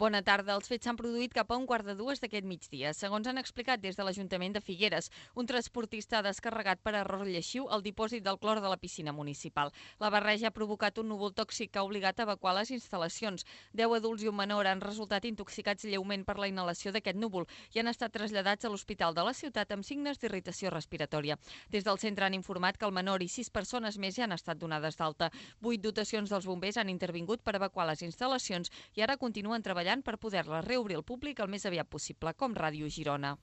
Bona tarda. Els fets s'han produït cap a 1:15 d'aquest migdia. Segons han explicat des de l'Ajuntament de Figueres, un transportista ha descarregat per error lleixiu el dipòsit del clor de la piscina municipal. La barreja ha provocat un núvol tòxic que ha obligat a evacuar les instal·lacions. 10 adults i un menor han resultat intoxicats lleument per la inhalació d'aquest núvol i han estat traslladats a l'Hospital de la Ciutat amb signes d'irritació respiratòria. Des del centre han informat que el menor i 6 persones més ja han estat donades d'alta. 8 dotacions dels bombers han intervingut per evacuar les instal·lacions i ara continuen treballant per poder-la reobrir al públic el més aviat possible, com Ràdio Girona.